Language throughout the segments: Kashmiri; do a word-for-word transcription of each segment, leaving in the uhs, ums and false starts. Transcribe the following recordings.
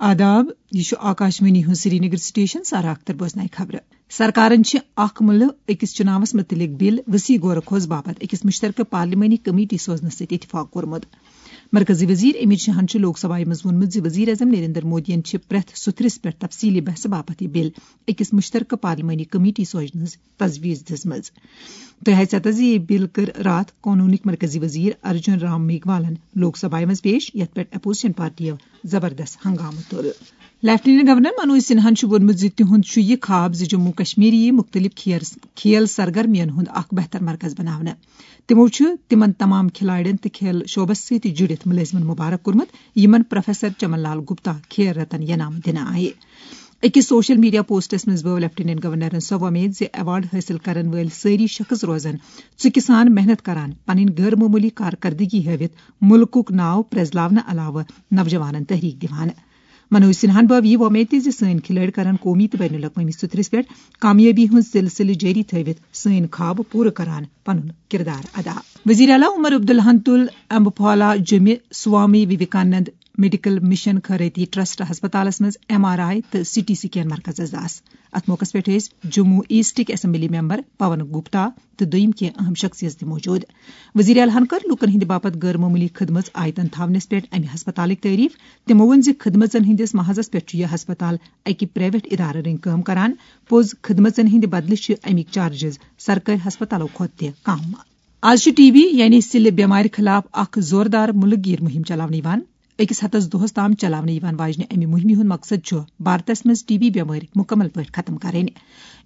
آداب، یہِ چھُ آکاشوانی ہُنٛد سرینگر سٹیشن۔ سارا اختر بوزنایہِ خبرٕ۔ سرکارن چھِ اکھ مُلک أکِس چُناوس مُتعلق بل وسیع غور و خوض باپتھ أکِس مُشترکہٕ پارلیمانی کمیٹی سوزنس سۭتۍ اتفاق کوٚرمُت۔ مرکزی وزیر امت شاہن چھُ لوک سبھایہ منٛز ووٚنمُت زِ وزیر اعظم نریندر مودیَن چھِ پرٛٮ۪تھ سُتھرِس پٮ۪ٹھ تفصیلی بحثہٕ باپتھ یہِ بل أکِس مُشترکہٕ پارلیمانی کمیٹی سوزنس تجویز دِژمٕژ۔ تۄہہِ آسہِ پتہ زِ یہِ بل کٔر راتھ قونوٗنٕکۍ مرکزی وزیر ارجُن رام میگوالن لوک سبھایہ منٛز پیش، یتھ پٮ۪ٹھ اپوزیشن پارٹیو زبردست ہنگامہٕ توٚر۔ لیفٹیننٹ گورنر منوج سنہاہن چھُ ووٚنمُت زِ تِہُنٛد چھُ یہِ خواب زِ جموں کشمیر یِیہِ مُختٔلِف کھیر-، کھیل سرگرمین ہُنٛد اکھ بہتر مرکز بناونہٕ۔ تِمو چھُ تِمن تمام کھلاڑٮ۪ن تہٕ کھیل شعبس سۭتۍ جُڑِتھ مُلٲزمن مُبارک کوٚرمُت، یِمن پروفیسر چمن لال گپتا کھیل رتن انعام دِنہٕ آیہِ۔ أکِس سوشل میڈیا پوسٹس منٛز بٲو لیفٹیننٹ گورنرن سۄ وۄمید زِ ایوارڈ حٲصِل کرن وٲلۍ سٲری شخص روزن ژُکہِ سان محنت کران، پنٕنۍ غٲر معموٗلی کارکردگی ہٲوِتھ مُلکُک ناو پرٛزلاونہٕ علاوٕ نوجوانن تحریک دِوان۔ منوج سنہاہن بٲو یہِ وۄمید تہِ زِ سٲنۍ کھلٲڑۍ کرن قومی تہٕ بین الاقوٲمی سطحس پٮ۪ٹھ کامیٲبی ہُنٛد سلسلہٕ جٲری تھٲوِتھ سٲنۍ خواب پوٗرٕ کران پنُن کردار ادا۔ وزیر اعلیٰ عمر عبداللہن تُل امبپھالا جوٚمہِ سوامی وویکانند میڈیکل مشن خیرٲتی ٹرسٹ ہسپتالس منٛز ایم آر آئی تہٕ سی ٹی سکین مرکزس دس۔ اتھ موقعس پٮ۪ٹھ ٲسۍ جموں ایسٹٕکۍ اسمبلی ممبر پون گپتا تہٕ دوٚیِم کینٛہہ اہم شخصیت تہِ موجود۔ وزیر اعلیٰ ہن کٔر لوٗکن ہٕنٛدِ باپتھ غٲر معموٗلی خدمژ آیتن تھاونس پٮ۪ٹھ امہِ ہسپتالٕکۍ تعریف۔ تِمو ووٚن زِ خدمژن ہٕنٛدِس محاذس پٮ۪ٹھ چھُ یہِ ہسپتال اکہِ پرائیویٹ ادارٕ رٔنگۍ کٲم کران۔ پوٚز، خدمژن ہٕنٛدِ بدلہٕ چھِ امیِکۍ چارجز سرکٲرۍ ہسپتالو کھۄتہٕ تہِ کم۔ از چھُ ٹی بی یعنی سِلہِ بٮ۪مارِ خلاف اکھ زوردار مُلک گیٖر مُہِم چلاونہٕ یِوان۔ أکِس ہتس دۄہس تام چلاونہٕ یِوان واجنہِ امہِ مُہِمہِ ہُنٛد مقصد چھُ بھارتس منٛز ٹی بی بٮ۪مٲرۍ مُکمل پٲٹھۍ ختم کرٕنۍ۔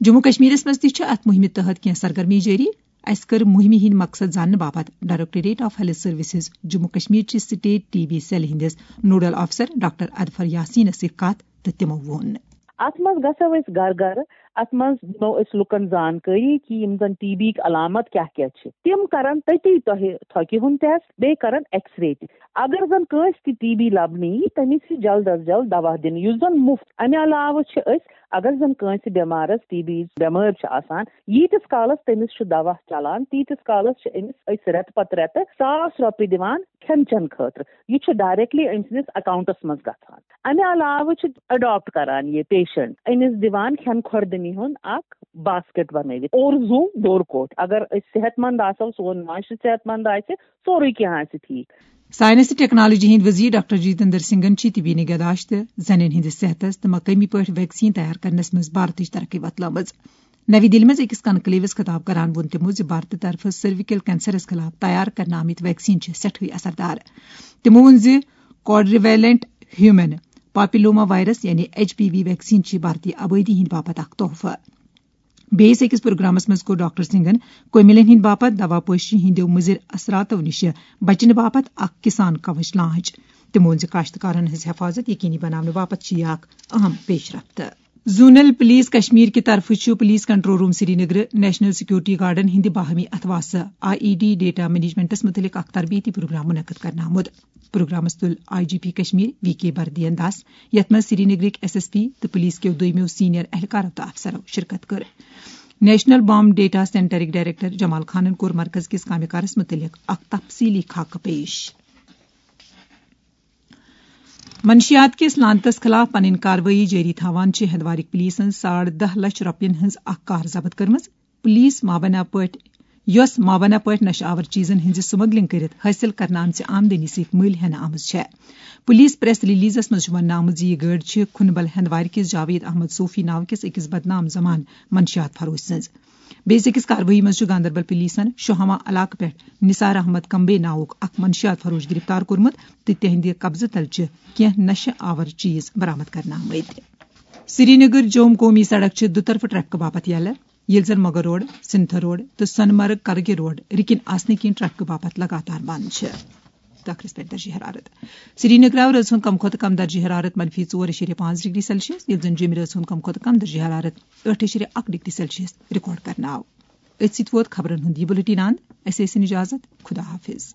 جموں کشمیرس منٛز تہِ چھِ اتھ مُہِمہِ تحت کینٛہہ سرگرمی جٲری۔ اسہِ کٔر مُہِمہِ ہٕنٛدۍ مقصد زاننہٕ باپتھ directorate of health services Jammu Kashmir چہِ سٹیٹ ٹی بی سیل ہٕنٛدِس نوڈل افسر ڈاکٹر اظفر یاسینس سۭتۍ کتھ تہٕ تِمو ووٚن۔ اتھ منٛز گژھو أسۍ گرٕ گرٕ، اتھ منٛز دِمو أسۍ لُکن زانکٲری کہِ یِم زن ٹی بی یِکۍ علامت کیٛاہ کیٛاہ چھِ۔ تِم کرن تٔتی تۄہہِ تھۄکہِ ہُنٛد ٹیسٹ، بیٚیہِ کرن ایکس رے تہِ۔ اگر زن کٲنٛسہِ تہِ ٹی بی لبنہٕ یی، تٔمِس یی جلد از جلد دوا دِنہٕ، یُس زن مفت۔ امہِ علاوٕ چھِ أسۍ، اگر زن کٲنٛسہِ بٮ۪مارس ٹی بی بٮ۪مٲرۍ چھِ آسان، ییٖتِس کالس تٔمِس چھُ دوا چلان، تیٖتِس کالس چھِ أمِس أسۍ رٮ۪تہٕ پتہٕ رٮ۪تہٕ ساس رۄپیہِ دِوان کھٮ۪ن چٮ۪ن خٲطرٕ۔ یہِ چھُ ڈائریکٹلی أمۍ سٕنٛدِس اکاؤنٹس منٛز گژھان۔ امہِ علاوٕ چھِ اڈاپٹ کران یہِ پیشنٹ، أمِس دِوان کھٮ۪ن خوردنی ہُنٛد اکھ باسکٹ بنٲوِتھ، اور زُو ڈور کوٹھ۔ اگر أسۍ صحت مند آسو، سون معاشرٕ صحت مند آسہِ، سورُے کینٛہہ آسہِ ٹھیٖک۔ ساینس تہٕ ٹیکنالوجی ہٕنٛدۍ وزیر ڈاکٹر جتیندر سنگھن چھِ طبی نگہداشت، زنٮ۪ن ہٕنٛدِس صحتس تہٕ مقٲمی پٲٹھۍ ویکسین تیار کرنس منٛز بھارتٕچ ترقی وتلٲومٕژ۔ نَوِ دِلہِ منٛز أکِس کنکلیوس خطاب کران ووٚن تِمو زِ بھارتہٕ طرفہٕ سرویکل کینسرس خلاف تیار کرنہٕ آمٕتۍ ویکسین چھِ سٮ۪ٹھٕے اثردار۔ تِمو ووٚن زِ کوڈریویلنٹ ہیومن پاپیلوما وائرس یعنی ایچ پی وی ویکسین چھِ بھارتی آبٲدی ہٕنٛدِ باپتھ اکھ تحفہٕ۔ بیٚیِس أکِس پروگرامس منٛز کوٚر ڈاکٹر سنگھن کٔمِلٮ۪ن ہٕنٛدِ باپتھ دوا پٲشی ہٕنٛدیو مُضِر اثراتو نِش بچنہٕ باپتھ اکھ کسان کوچ لانچ۔ تِمو ووٚن زِ کاشتکارن ہٕنٛز حفاظت یقینی بناونہٕ باپتھ چھِ یہِ اکھ اہم پیش رفت۔ زونل پولیس کشمیر کہِ طرفہٕ چھُ پولیس کنٹرول روم سرینگرٕ نیشنل سیکورٹی گارڈن ہٕنٛدِ باہمی اتھواسہٕ آئی ای ڈی ڈیٹا مینجمنٹس مُتعلق اکھ تربیتی پروگرام منعقد کرنہٕ آمُت۔ پروگرامس تُل I G P Kashmir V K بردین دس، یتھ منٛز سرینگرٕکۍ ایس ایس پی تہٕ پولیس کیو دویمو سینئر اہلکارو تہٕ افسرو شرکت کٔر۔ نیشنل بام ڈیٹا سینٹرٕکۍ ڈائریکٹر جمال خانن کوٚر مرکز کِس کامہِ کارس مُتعلق اکھ تفصیلی خاکہٕ پیش۔ منشیات کِس لعنتس خلاف پنٕنۍ کاروٲیی جٲری تھاوان چھِ ہندوارٕکۍ پولیسن ساڑ دہ لچھ رۄپین ہٕنٛز اکھ کار ضبط کٔرمٕژ۔ پولیس مابینہ پٲٹھۍ، یۄس مابینہ پٲٹھۍ نشہٕ آور چیزن ہٕنٛزِ سمگلنگ کٔرِتھ حٲصِل کرنہٕ آمژِ آمدنی سۭتۍ مٔلۍ ہٮ۪نہٕ آمٕژ چھےٚ۔ پولیس پریس ریلیزس منٛز چھُ وننہٕ آمُت زِ یہِ گٲڑۍ چھِ کھُنبل ہندوارِ کِس جاوید احمد صوفی ناوٕ کِس أکِس بدنام زمان منشیات فروش سٕنٛز۔ بیٚیِس أکِس کاروٲیی منٛز چھُ گاندربل پولیسن شوہاما علاقہٕ پٮ۪ٹھ نثار احمد کمبے ناوُک اکھ منشیات فروش گرفتار کوٚرمُت تہٕ تِہنٛدِ قبضہٕ تل چھِ کینٛہہ نشہٕ آور چیز برآمد کرنہٕ آمٕتۍ۔ سرینگر جوم قومی سڑک چھِ دُطرفہٕ ٹریفکہٕ باپتھ یلہٕ، ییٚلہِ زن مغل روڈ، سنتھر روڈ تہٕ سۄنہٕ مرگ کرگہِ روڈ رِکِن آسنہٕ کِنۍ ٹریفکہٕ باپتھ لگاتار بند چھِ۔ ٲخرس پٮ۪ٹھ درجہ حرارت۔ سرینگر آو رٲژ ہُنٛد کم کھۄتہٕ کم درجہ حرارت منفی ژور اعشاریہ پانٛژھ ڈگری سیلسیس، ییٚلہِ زن جیٚمہِ رٲژ ہُنٛد کم کھۄتہٕ کم درجہ حرارت ٲٹھ اعشاریہ اکھ ڈگری سیلسیس ریکارڈ کرنہٕ آو۔ أتھۍ سۭتۍ ووت خبرن ہُنٛد یہِ بُلٹن اند۔ اَسہِ ٲسِن اجازت۔ خدا حافظ۔